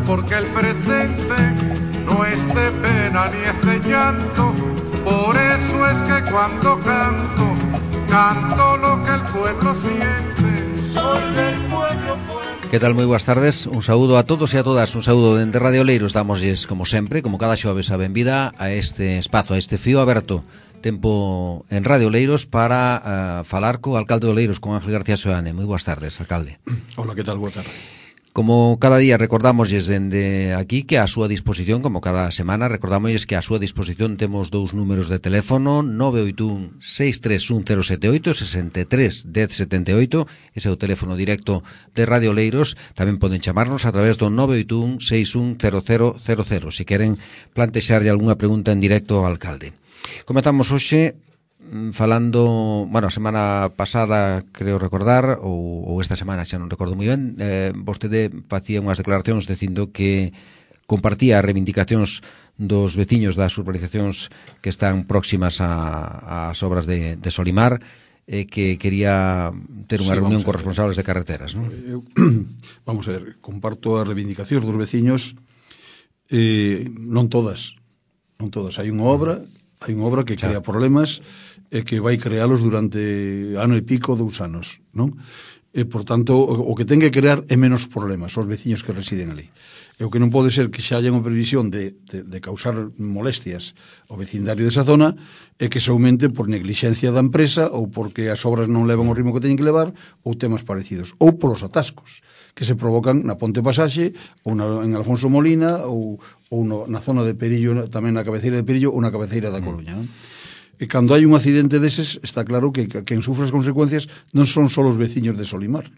porque el presente no es de pena ni es de llanto. Por eso es que cuando canto, canto lo que el pueblo siente. Soy del pueblo. Que tal, moi boas tardes, un saúdo a todos e a todas, un saúdo dende Radio Oleiros. Damosles, como sempre, como cada xoves, a benvida a este espazo, a este fío aberto tempo en Radio Oleiros para falar co alcalde de Oleiros, con Ángel García Seoane. Moi boas tardes, alcalde. Hola, que tal? Boa tarde. Como cada día recordamosles dende aquí que a súa disposición, como cada semana, recordamosles que a súa disposición temos dous números de teléfono, 981 631 078, 63 10 78, ese é o teléfono directo de Radio Oleiros. Tamén poden chamarnos a través do 981 610000, se queren plantexarlle algunha pregunta en directo ao alcalde. Comezamos hoxe falando, bueno, a semana pasada, creo recordar, ou esta semana, xa non recordo moi ben, vostede facía unhas declaracións dicindo que compartía as reivindicacións dos veciños das urbanizacións que están próximas ás obras de Solimar, que quería ter unha reunión con responsables de carreteras, non? Vamos a ver, comparto as reivindicacións dos veciños, non todas, hai unha obra que crea problemas e que vai crealos durante ano e pico, 2 anos, non? E, por tanto, o que ten que crear é menos problemas aos veciños que residen ali. E o que non pode ser que xa haya unha previsión de causar molestias ao vecindario desa zona é que se aumente por neglixencia da empresa ou porque as obras non levan o ritmo que teñen que levar ou temas parecidos, ou polos atascos que se provocan na Ponte Pasaxe ou en Alfonso Molina ou na zona de Perillo, tamén na cabeceira de Perillo ou na cabeceira da Coruña, non? E cando hai un accidente deses, está claro que quen sufre as consecuencias non son só os veciños de Solimar,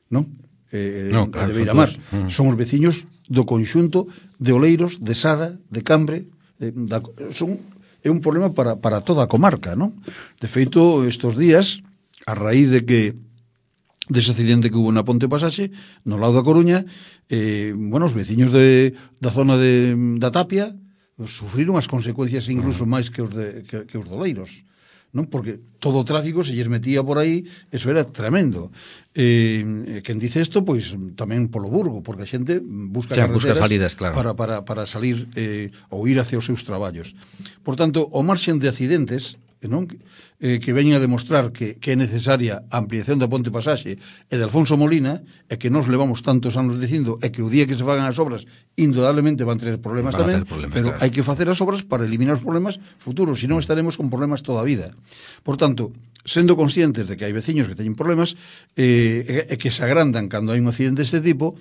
non? Claro, de Beiramar, son os veciños do conxunto de Oleiros, de Sada, de Cambre, é un problema para toda a comarca, non? De feito, estes días, a raíz dese accidente que hubo na Ponte Pasaxe, no lado da Coruña, os veciños da zona da Tapia sufriron as consecuencias incluso máis que os de Oleiros, non? Porque todo o tráfico se lles metía por aí, eso era tremendo. Quen dice isto, pois tamén polo Burgo, porque a xente busca carreteras salidas, claro, para salir ou ir hacia os seus traballos. Por tanto, o marxen de accidentes, non? Que veñen a demostrar que é necesaria a ampliación da Ponte Pasaxe e de Alfonso Molina, e que nos levamos tantos anos dicindo, e que o día que se fagan as obras indudablemente van ter problemas tamén, pero hai que facer as obras para eliminar os problemas futuros, senón estaremos con problemas toda a vida. Por tanto, sendo conscientes de que hai veciños que teñen problemas e que se agrandan cando hai un accidente deste tipo,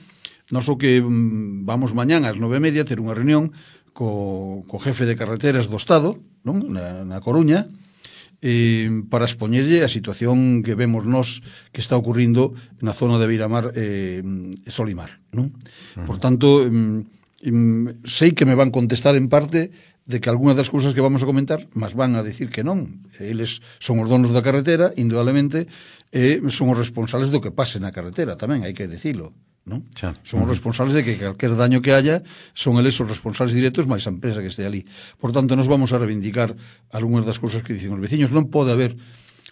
nós o que vamos mañán ás 9:30 ter unha reunión co jefe de carreteras do Estado, non? Na Coruña, para expoñerlle a situación que vemos nós que está ocurrindo na zona de Beiramar e Solimar, non? Por tanto, sei que me van contestar en parte de que algunhas das cousas que vamos a comentar mas van a decir que non. Eles son os donos da carretera, indudablemente, e son os responsables do que pase na carretera tamén, hai que dicilo, non? Son os responsables de que calquer daño que haya son eles os responsables directos máis a empresa que este ali. Por tanto, nos vamos a reivindicar algunhas das cousas que dicen os veciños. Non pode haber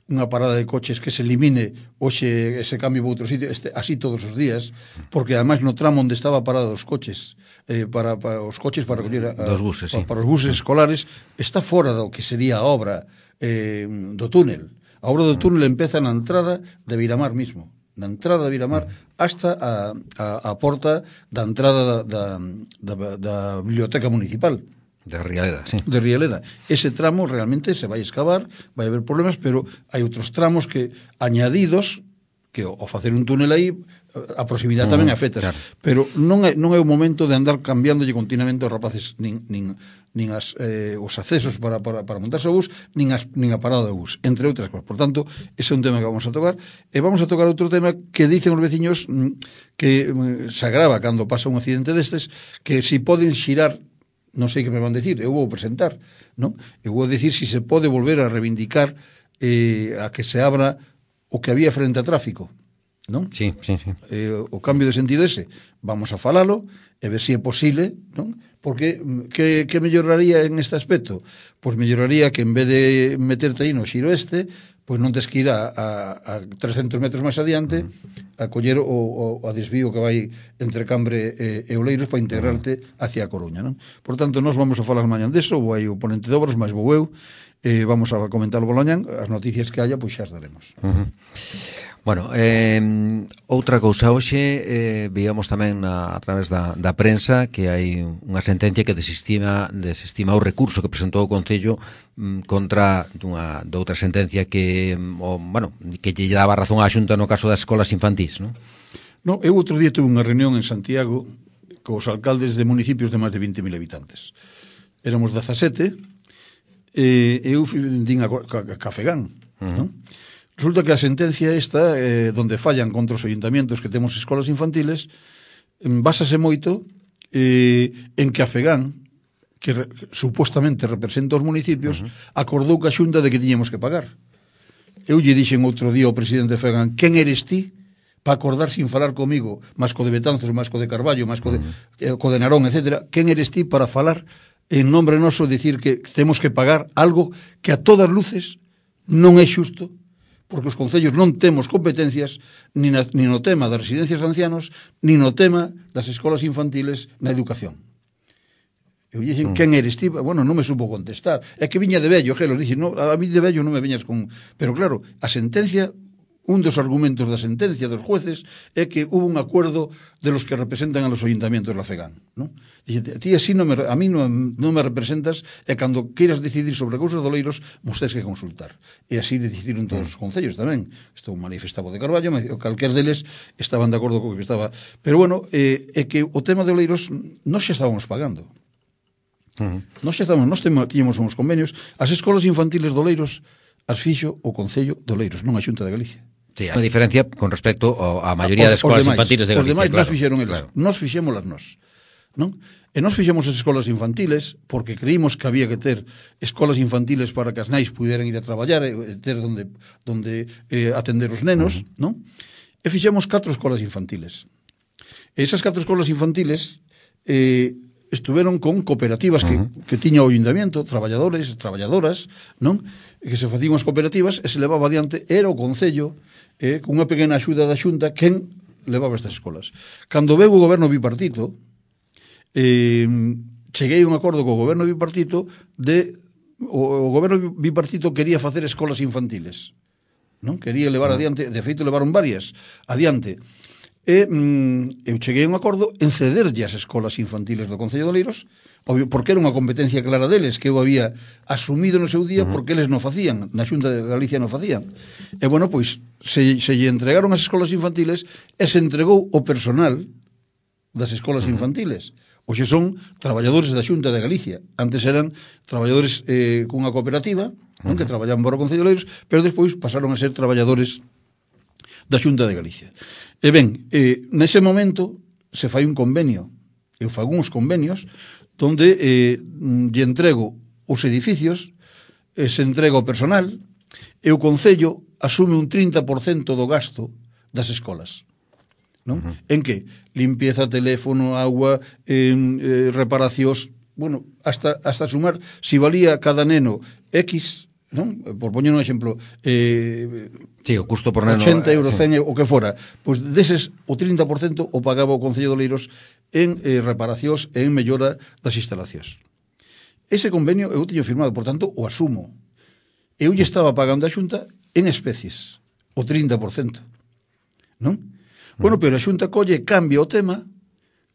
unha parada de coches que se elimine hoxe ese cambio para outro sitio, así todos os días, porque ademais no tramo onde estaba parado os coches para os coches para coller dos buses, para os buses escolares, está fora do que sería a obra do túnel. A obra do túnel empeza na entrada de Beiramar mismo, na entrada de Beiramar hasta a porta da entrada da biblioteca municipal de Rialeda, sí. De Rialeda. Ese tramo realmente se vai excavar, vai haber problemas, pero hai outros tramos que añadidos que ao facer un túnel aí a proximidade tamén afecta, claro. Pero non é o momento de andar cambiándolle continuamente aos rapaces nin os accesos para montarse o bus, nin a parada do bus, entre outras cousas. Por tanto, ese é un tema que vamos a tocar. E vamos a tocar outro tema que dicen os veciños que se agrava cando pasa un accidente destes, que si poden xirar, non sei que me van decir, eu vou presentar, non? Eu vou decir si se pode volver a reivindicar a que se abra o que había frente a tráfico, non? Sí. O cambio de sentido ese, vamos a falalo e ver se é posible, non? Porque que melloraría en este aspecto? Pois melloraría que en vez de meterte aí no xiro pois non tes que ir a 300 metros máis adiante a coller o desvío que vai entre Cambre e Oleiros para integrarte hacia a Coruña, non? Por tanto, nós vamos a falar mañan deso, vou aí o ponente de obras, máis vou eu, vamos a comentar o bolañán, as noticias que haya, pois xa as daremos. Bueno, outra cousa, hoxe víamos tamén a través da prensa que hai unha sentencia que desestima o recurso que presentou o Concello contra de outra sentencia que lle daba razón á Xunta no caso das escolas infantís, non? No, eu outro día tuve unha reunión en Santiago cos alcaldes de municipios de máis de 20.000 habitantes. Éramos 17 e eu din a Cafegán, non? Resulta que a sentencia esta, donde fallan contra os ayuntamientos que temos escolas infantiles, básase moito en que a Fegán, que supostamente representa os municipios, acordou ca Xunta de que tiñemos que pagar. Eu lle dixen outro día ao presidente de Fegán, quen eres ti para acordar sin falar comigo, máis co de Betanzos, máis co de Carballo, máis co de Narón, etc. Quen eres ti para falar en nombre noso, dicir que temos que pagar algo que a todas luces non é xusto, porque os concellos non temos competencias ni no tema das residencias de ancianos, ni no tema das escolas infantiles na educación. Eu dixen, quen eres ti? Bueno, non me supo contestar. É que viña de vello, Gelo, dixen, no, a mí de vello non me veñas con... Pero claro, a sentencia, un dos argumentos da sentencia dos jueces é que hubo un acuerdo de los que representan a los ayuntamientos de la FEGAN, ¿no? Dixen, ti así a mí non me representas e cando queiras decidir sobre cousas de Oleiros, mos tes que consultar. E así decidiron todos os concellos tamén. Isto manifestaba de Carballo, calquer deles estaban de acordo co que estaba. Pero bueno, é que o tema de Oleiros nós xa estábamos pagando. Nós tiñamos uns convenios. As escolas infantiles de Oleiros as fixo o Concello de Oleiros, non a Xunta de Galicia. Sí, hai unha diferencia con respecto á maioría das escolas infantiles de Galicia. Os demais claro, nos fixeron eles, claro. Nos fixémolas nós, non? E nos fixemos as escolas infantiles porque creímos que había que ter escolas infantiles para que as nais puderan ir a traballar e ter donde atender os nenos, non? E fixemos 4 escolas infantiles. E esas 4 escolas infantiles estuveron con cooperativas que tiña o ayuntamiento, traballadores, traballadoras, non? E que se facían as cooperativas e se levaba adiante, era o Concello, con unha pequena axuda da Xunta, quen levaba estas escolas. Cando veu o goberno bipartito, cheguei a un acordo co goberno bipartito o goberno bipartito quería facer escolas infantiles, non? Quería levar adiante, de feito levaron varias adiante. E eu cheguei a un acordo en cederlle as escolas infantiles do Concello de Oleiros, porque era unha competencia clara deles que eu había asumido no seu día porque eles non facían, na Xunta de Galicia non facían. E bueno, pois se lle entregaron as escolas infantiles e se entregou o personal das escolas infantiles. Hoxe son traballadores da Xunta de Galicia. Antes eran traballadores cunha cooperativa, non, que traballaban para o Concello de Oleiros, pero despois pasaron a ser traballadores da Xunta de Galicia. E ben, nese momento se fai un convenio, eu fago uns convenios donde lle entrego os edificios, se entrega o personal e o Concello asume un 30% do gasto das escolas, non? En que? Limpieza, teléfono, agua, reparacións, bueno, hasta sumar, si valía cada neno X, non? Por poñer un exemplo, sí, o custo por neno 80 euros, 100 o que fora, pois deses o 30% o pagaba o Concello de Oleiros en reparacións e en mellora das instalacións. Ese convenio eu tiño firmado, por tanto, o asumo. Eu lle estaba pagando a Xunta en especies, o 30%, non? Bueno, pero a Xunta colle, cambia o tema,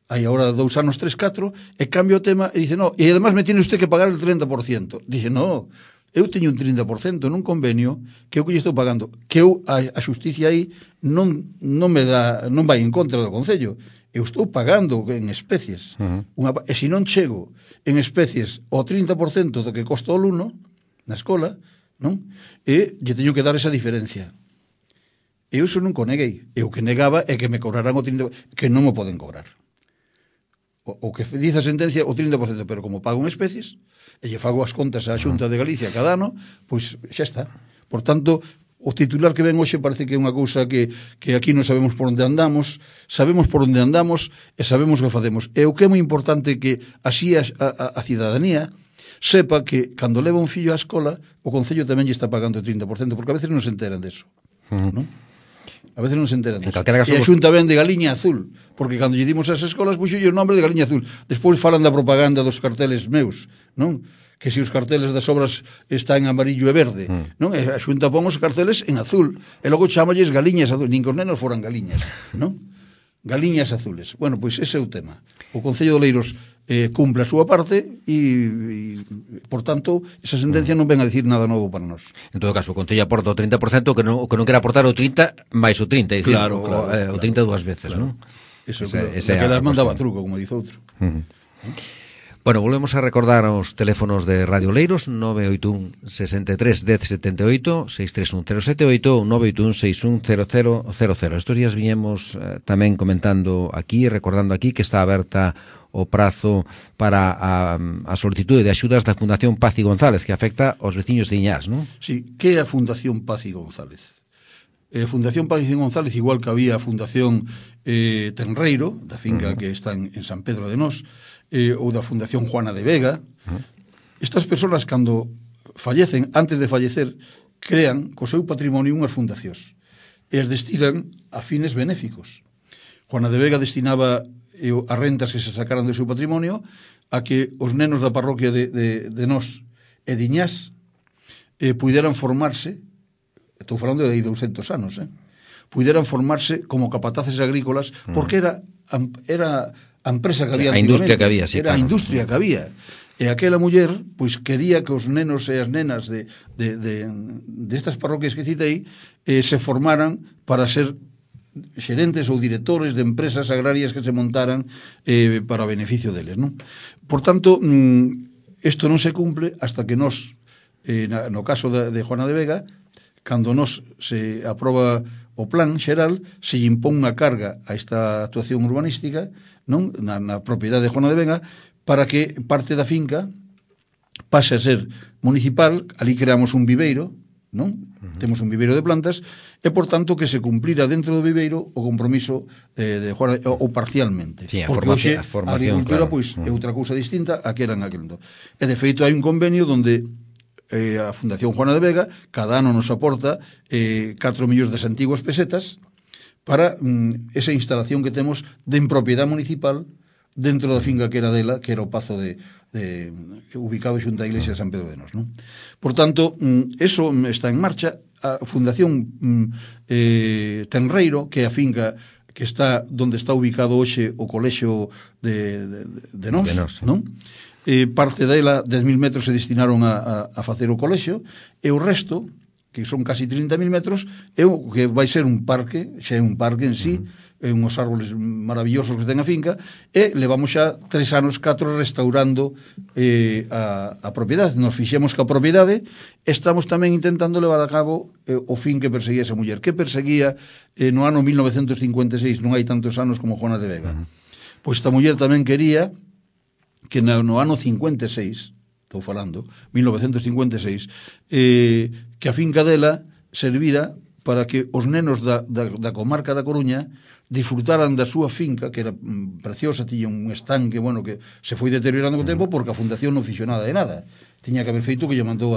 hai agora 2 anos, 3, 4, e cambia o tema e dice, no, e además me tiene usted que pagar el 30%. Dice, no, eu teño un 30% nun convenio que eu que lle estou pagando, que eu a xusticia aí non vai en contra do Concello. Eu estou pagando en especies. E se non chego en especies o 30% do que costa o alumno na escola, non? E lle teño que dar esa diferencia. Eu iso non neguei. Eu que negaba é que me cobrarán o 30%, que non me poden cobrar. O que dice a sentencia, o 30%, pero como pago en especies, e lle fago as contas á Xunta de Galicia cada ano, pois xa está. Por tanto, o titular que ven hoxe parece que é unha cousa que aquí non sabemos por onde andamos e sabemos o que facemos. E o que é moi importante que así a cidadanía sepa que cando leva un fillo á escola, o Concello tamén lle está pagando o 30%, porque a veces non se enteran deso, non? A veces non se enteran deso. E a Xunta ven de Galiña Azul, porque cando lle dimos as escolas puxolle o nombre de Galiña Azul. Despois falan da propaganda dos carteles meus, non? Que se os carteles das obras están en amarillo e verde, non? E a Xunta pon os carteles en azul, e logo chamalles Galiñas Azul, nin que os nenos foran galiñas, non? Galiñas azules. Bueno, pois ese é o tema. O Concello de Oleiros cumpre a súa parte e por tanto, esa sentencia non ven a dicir nada novo para nós. En todo caso, o Concello aporta o 30%, que non quere aportar o 30 máis o 30, é dicir, claro, o 30 dúas veces, claro. non? Eso, que las mandaba truco, como dice outro. Bueno, volvemos a recordar os teléfonos de Radio Oleiros, 981 63 10 78, 631 078 ou 981 61 0000. Estos días viñemos tamén comentando aquí, recordando aquí que está aberta o prazo para a solicitude de axudas da Fundación Paz y González, que afecta aos veciños de Iñás, non? Sí, que é a Fundación Paz y González? Fundación Paz y González, igual que había a Fundación Tenreiro, da finca que está en San Pedro de Nós, ou da Fundación Juana de Vega. Estas persoas, cando fallecen, antes de fallecer, crean co seu patrimonio unhas fundacións e as destinan a fines benéficos. Juana de Vega destinaba as rentas que se sacaran do seu patrimonio a que os nenos da parroquia de Nós e de Iñás puderan formarse, estou falando de 200 anos, puderan formarse como capataces agrícolas, porque era a empresa que había, a industria que había, sí, era claro. A industria que había. E aquela muller, pois, quería que os nenos e as nenas destas parroquias que citei se formaran para ser xerentes ou directores de empresas agrarias que se montaran para beneficio deles, non? Por tanto, isto non se cumple hasta que nos, no caso de Juana de Vega, cando nos se aproba o plan xeral, se lle impón unha carga a esta actuación urbanística, non, na propiedade de Juana de Vega, para que parte da finca pase a ser municipal. Ali creamos un viveiro, non? Temos un viveiro de plantas, e por tanto que se cumplira dentro do viveiro o compromiso de Juana, ou parcialmente. Sí, porque hoxe a agricultura, claro. Pois, é outra cousa distinta a que era en aquel momento. E de feito hai un convenio donde a Fundación Juana de Vega cada ano nos aporta 4 millóns de antiguas pesetas para esa instalación que temos en propiedade municipal dentro da finca que era dela, que era o pazo ubicado xunto á iglesia de San Pedro de Nós, non? Por tanto, eso está en marcha. A Fundación Tenreiro, que é a finca que está onde está ubicado hoxe o colexio de Nós, non? Parte dela, 10.000 metros, se destinaron a facer o colexio, e o resto, que son casi 30.000 metros, é o que vai ser un parque, xa é un parque en sí, unhos árboles maravillosos que ten a finca, e levamos xa 3 anos, 4, restaurando a propiedade. Nos fixemos que a propiedade, estamos tamén intentando levar a cabo o fin que perseguía esa muller, que perseguía no ano 1956, non hai tantos anos como Juana de Vega. Pois esta muller tamén quería que no ano 56, estou falando, 1956, que a finca dela servira para que os nenos da comarca da Coruña disfrutaran da súa finca, que era preciosa, tiña un estanque, bueno, que se foi deteriorando co tempo porque a fundación non fixo nada de nada. Tiña que haber feito que lle mandou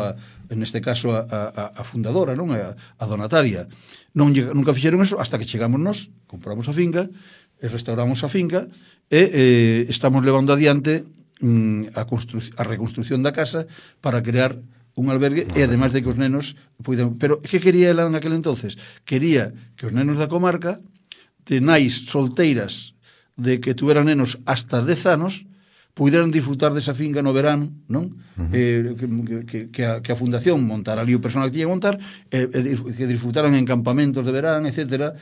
neste caso a fundadora, non? A donataria. Nunca fixeron eso hasta que chegamos nós, compramos a finca, e restauramos a finca, e estamos levando adiante a reconstrucción da casa para crear un albergue, e ademais de que os nenos puidan... Pero que quería ela naquel entonces? Quería que os nenos da comarca, de nais solteiras de que tuveran nenos hasta 10 anos, puderan disfrutar desa finca no verano, non? Que a fundación montara ali o personal que tiña que montar, que disfrutaran en campamentos de verán, etcétera,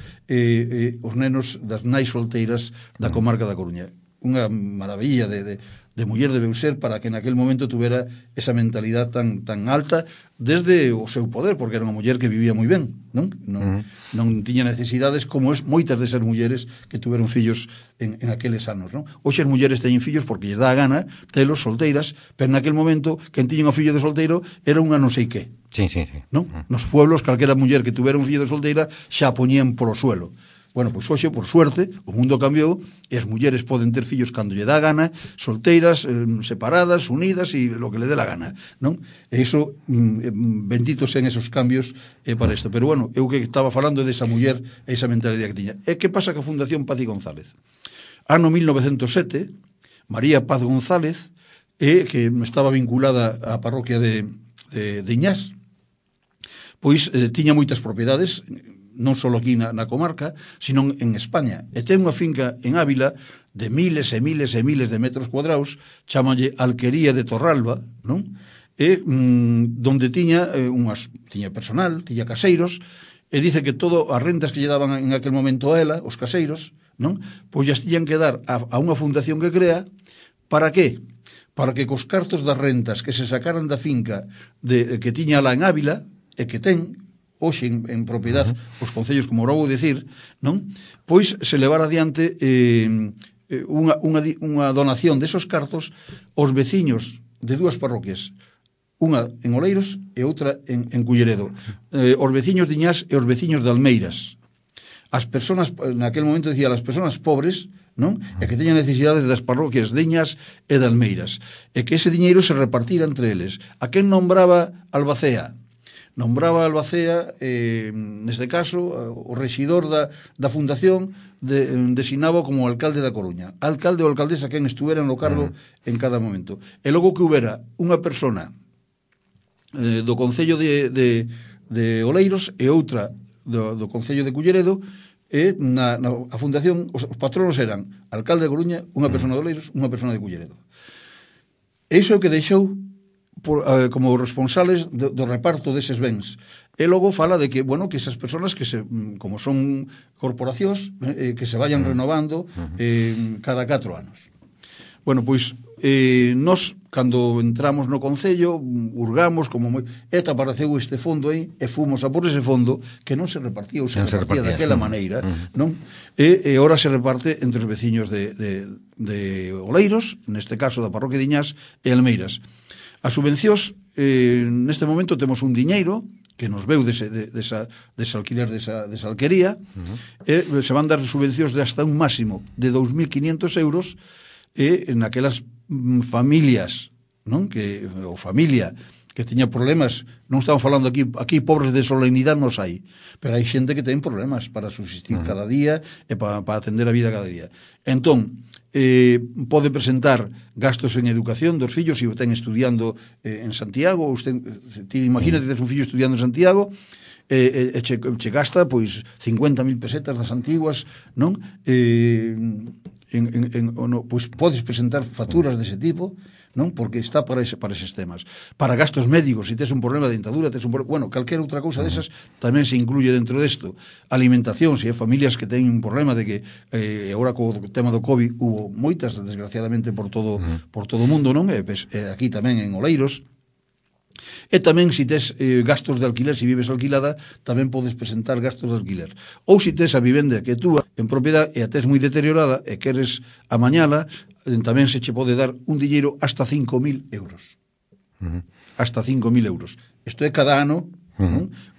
os nenos das nais solteiras da comarca da Coruña. Unha maravilla de muller debeu ser para que naquel momento tuvera esa mentalidade tan alta desde o seu poder, porque era unha muller que vivía moi ben, non tiña necesidades como moitas desas mulleres que tuveron fillos en aqueles anos, non? Hoxe as mulleres teñen fillos porque lles dá a gana telos solteiras, pero naquel momento quen tiña un fillo de solteiro era unha non sei que. Sí. Non? Nos pueblos, calquera muller que tuvera un fillo de solteira xa poñían polo suelo. Bueno, pois hoxe, por suerte, o mundo cambiou e as mulleres poden ter fillos cando lle dá a gana, solteiras, separadas, unidas e lo que le dé la gana, non? E iso, benditos en esos cambios para isto. Pero bueno, eu que estaba falando desa muller e esa mentalidade que tiña. E que pasa que a Fundación Paz y González? Ano 1907, María Paz González, que estaba vinculada á parroquia de Iñás, pois tiña moitas propiedades, non só aquí na comarca, sino en España. E ten unha finca en Ávila de miles e miles e miles de metros cuadrados, chámalle Alquería de Torralba, non? E donde tiña tiña personal, tiña caseiros, e dice que todo as rentas que lle daban en aquel momento a ela, os caseiros, non? Pois as tiñan que dar a unha fundación que crea, para que? Para que cos cartos das rentas que se sacaran da finca que tiña lá en Ávila, e que ten hoxe en propiedade os concellos, como ahora vou dicir, non? Pois se levar adiante unha donación desos cartos aos veciños de dúas parroquias, unha en Oleiros e outra en Culleredo, os veciños de Iñás e os veciños de Almeiras. As persoas, naquel momento decía, as persoas pobres, non? E que teñan necesidades das parroquias de Iñás e de Almeiras, e que ese diñeiro se repartira entre eles. A quen nombraba Albacea? Nombraba Albacea, neste caso, o rexidor da fundación designaba como alcalde da Coruña. Alcalde ou alcaldesa quen estuvera no cargo en cada momento. E logo que houbera unha persona do Concello de Oleiros e outra do Concello de Culleredo, e a fundación, os patronos eran alcalde de Coruña, unha persona de Oleiros, unha persona de Culleredo. E iso é o que deixou como responsables do reparto deses bens. E logo fala de que, bueno, que esas persoas que como son corporacións, que se vayan renovando cada 4 anos. Bueno, pois nós, cando entramos no Concello, hurgamos como apareceu este fondo aí, e fomos a por ese fondo que non se repartía, ou se repartía daquela maneira, non? E ora se reparte entre os veciños de Oleiros, neste caso da parroquia de Iñás e Almeiras. As subvencións, neste momento temos un diñeiro que nos veu dese alquiler desa alquería, e se van dar subvencións de hasta un máximo de 2.500 euros en aquelas familias, non? Ou familia que tiña problemas, non estamos falando aquí pobres de solemnidade nos hai, pero hai xente que ten problemas para subsistir cada día e para atender a vida cada día. Entón, pode presentar gastos en educación dos fillos se o ten estudiando en Santiago, ou imagínate que tes un fillo estudiando en Santiago e che gasta pois 50.000 pesetas das antiguas, non? Pois podes presentar facturas dese tipo, non? Porque está para eses temas. Para gastos médicos, se tes un problema de dentadura, calquera outra cousa desas tamén se incluye dentro desto. Alimentación, se hai familias que teñen un problema de que agora co tema do COVID hubo moitas, desgraciadamente, por todo o mundo, non? Aquí tamén en Oleiros. E tamén, se tes gastos de alquiler, se vives alquilada, tamén podes presentar gastos de alquiler. Ou se tes a vivenda que é túa en propiedade e a tes moi deteriorada e queres amañala, tamén se che pode dar un diñeiro hasta 5.000 euros. Hasta 5.000 euros. Isto é cada ano,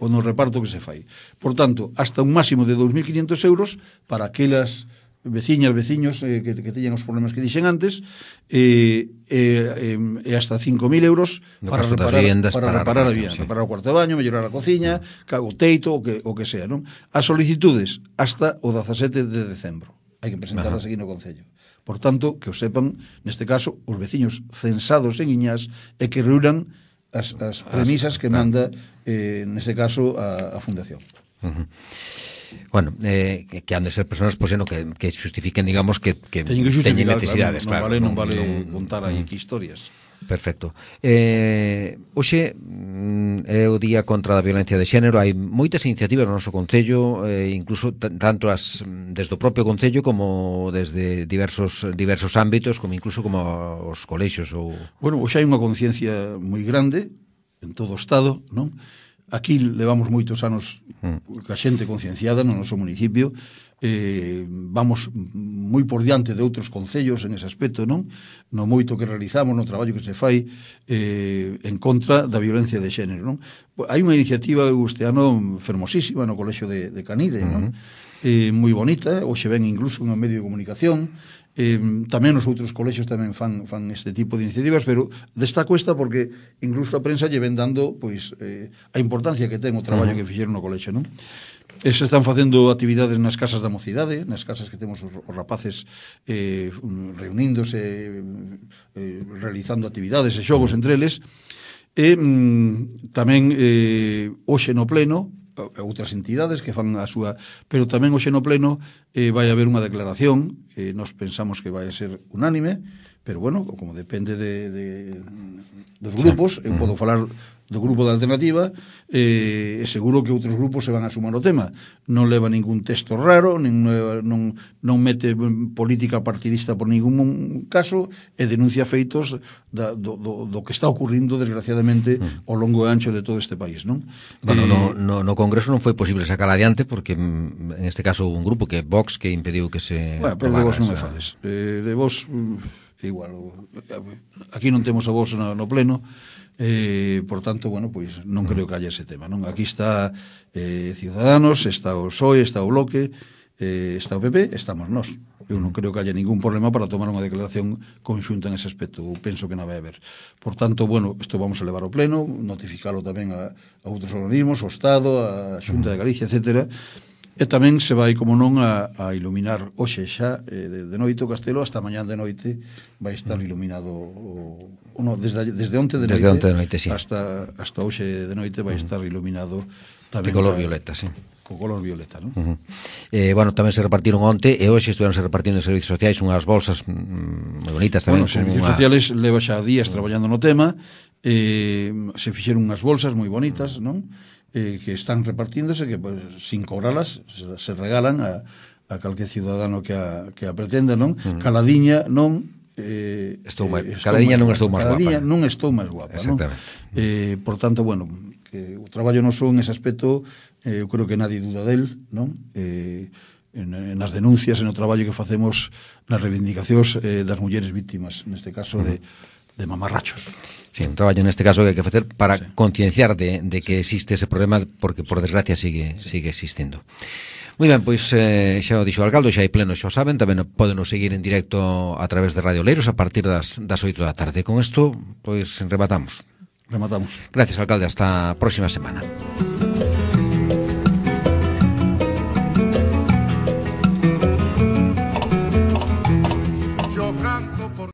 o no reparto que se fai. Por tanto, hasta un máximo de 2.500 euros para aquelas veciños que teñan os problemas que dixen antes, e hasta 5.000 euros para reparar a vivienda, reparar o cuarto de baño, mellorar a cociña, o teito, o que sea, non? As solicitudes hasta o 17 de decembro. Hai que presentarlas aquí no Concello. Por tanto, que o sepan, neste caso, os veciños censados en Iñás e que reúnan as premisas que manda, neste caso, a Fundación. Bueno, que han de ser persoas que xustifiquen, digamos, que teñen necesidades, claro. Non vale contar aí que historias. Perfecto. Hoxe é o Día contra a Violencia de Xénero. Hai moitas iniciativas no noso Concello, incluso tanto desde o propio Concello como desde diversos ámbitos, como incluso como os colexios. Bueno, hoxe hai unha conciencia moi grande en todo o Estado, non? Aquí levamos moitos anos ca xente concienciada no noso municipio, vamos moi por diante de outros concellos en ese aspecto, non? No moito que realizamos, no traballo que se fai en contra da violencia de xénero, non? Hai unha iniciativa este ano fermosísima no Colexio de Canide, non? Moi bonita, hoxe ven incluso un medio de comunicación, tamén os outros colexios tamén fan este tipo de iniciativas, pero destaco esta porque incluso a prensa lle ven dando pois a importancia que ten o traballo que fixeron no colexio, non? Se están facendo actividades nas casas da mocidade, nas casas que temos os rapaces reuníndose, realizando actividades e xogos entre eles, e tamén hoxe no pleno outras entidades que fan a súa, pero tamén hoxe no pleno vai haber unha declaración, nos pensamos que vai ser unánime, pero bueno, como depende dos grupos, eu podo falar do grupo da alternativa, seguro que outros grupos se van a sumar ao tema. Non leva ningún texto raro, non mete política partidista por ningún caso, e denuncia feitos do que está ocurrindo, desgraciadamente, ao longo e ancho de todo este país, non? Bueno, no Congreso non foi posible sacar adiante, porque en este caso un grupo que é Vox, que impediu que se... Bueno, pero de vos non me fales. De vos, igual, aquí non temos a vos no pleno, por tanto, bueno, pois non creo que haya ese tema, non? Aquí está Ciudadanos, está o PSOE, está o Bloque, está o PP, estamos nós. Eu non creo que haya ningún problema para tomar unha declaración conxunta en ese aspecto. Eu penso que non vai haber. Por tanto, bueno, isto vamos a levar ao pleno, notificalo tamén a outros organismos, ao Estado, a Xunta de Galicia, etcétera. E tamén se vai, como non, a iluminar hoxe xa de noite o castelo, hasta mañán de noite vai estar iluminado desde onte de noite, sí. hasta hoxe de noite vai estar iluminado tamén de color violeta, sí. Co color violeta, non? Bueno, tamén se repartiron onte e hoxe estiveron se repartindo en servicios sociais unhas bolsas moi bonitas tamén. Bueno, servicios sociales leva xa días traballando no tema, se fixeron unhas bolsas moi bonitas, non? Que están repartíndose, que pues, sin cobralas se regalan a calquer ciudadano que a pretenda, non? Caladiña non Caladiña non estou máis guapa. Caladiña non estou máis guapa, non? Por tanto, bueno, que o traballo noso en ese aspecto, eu creo que nadie duda del, non? Nas denuncias, no traballo que facemos nas reivindicacións das mulleres víctimas, neste caso de mamarrachos. Sí, un traballo neste caso que hai que facer para concienciar de que existe ese problema, porque por desgracia sigue existindo. Moi ben, pois xa o dixo o alcalde, xa hai pleno, xa o saben, tamén poden seguir en directo a través de Radio Oleiros a partir das 8 da tarde. Con isto, pois rematamos. Rematamos. Gracias, alcalde, hasta a próxima semana.